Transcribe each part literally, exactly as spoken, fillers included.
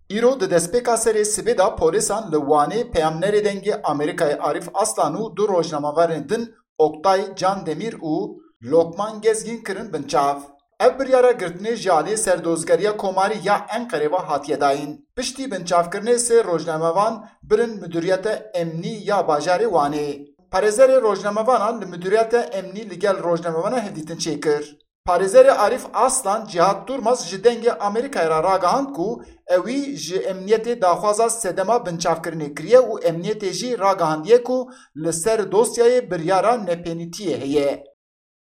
Îro di destpêka serê sibê de polîsan li Wanê peyamnerê Dengê Amerîkayê Arif Aslan û du rojnamevanên din Oktay Candemîr û Lokman Gezgîn kirin binçav. Ev biryara girtinê ji aliyê Serdozgeriya Komarî ya Enqerê ve hatiye dayîn. Piştî binçavkirinê sê rojnamevan birin Midûriyeta Emnî ya bajarê Wanê. Parêzerê rojnamevanan li Midûriyeta Emnî li gel rojnamevana hevdîtin çêkir. Parêzerê Arif Aslan Cihat Durmaz ji Dengê Amerîkayê re ragihand ku ewî ji emniyetê daxwaza sedema binçavkirinê kiriye û emniyetê jî ragihandiye ku li ser dosyayê biryara nepênîtiyê heye.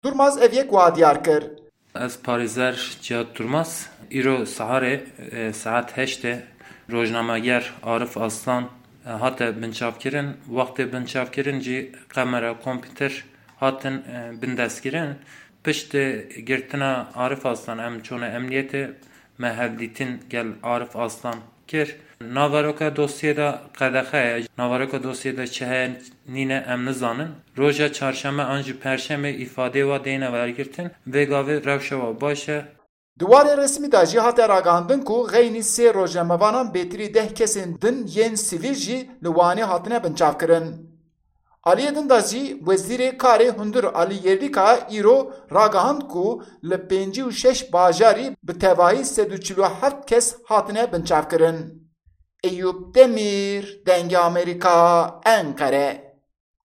Durmaz ev yek wiha diyar kir. Ez parêzer Cihat Durmaz, îro siharê, e, saet heştê rojnameger Arif Aslan, e, hate binçavkirin. Wextê binçavkirin jî kamera, kompîter hatin, e, bindestkirin. Piştî girtina Arif Aslan em çûne emniyetê, me hevdîtin gel Arif Aslan kir. Naveroka dosyê de qedexe ye. Naveroka dosyê de çi heye nîne em nizanin. Roja çarşeme an jî perşemê îfadeyê wa deyne wergirtin. Vê gavê rewşa wa baş e. Di warê resmî de jî hate ragihandin ku xeynî sê rojnamevanan bêtirî deh kesên din yên sivîl jî li Wanê hatine binçavkirin. Aliyê din de jî Wezîrê Karê Hundir Alî Yerlîkaya îro ragihand ku li pêncî û şeş bajarî bi tevahî sed û çil û heft kes hatine binçavkirin. Eyûp Demîr, Dengê Amerîka, Enqere.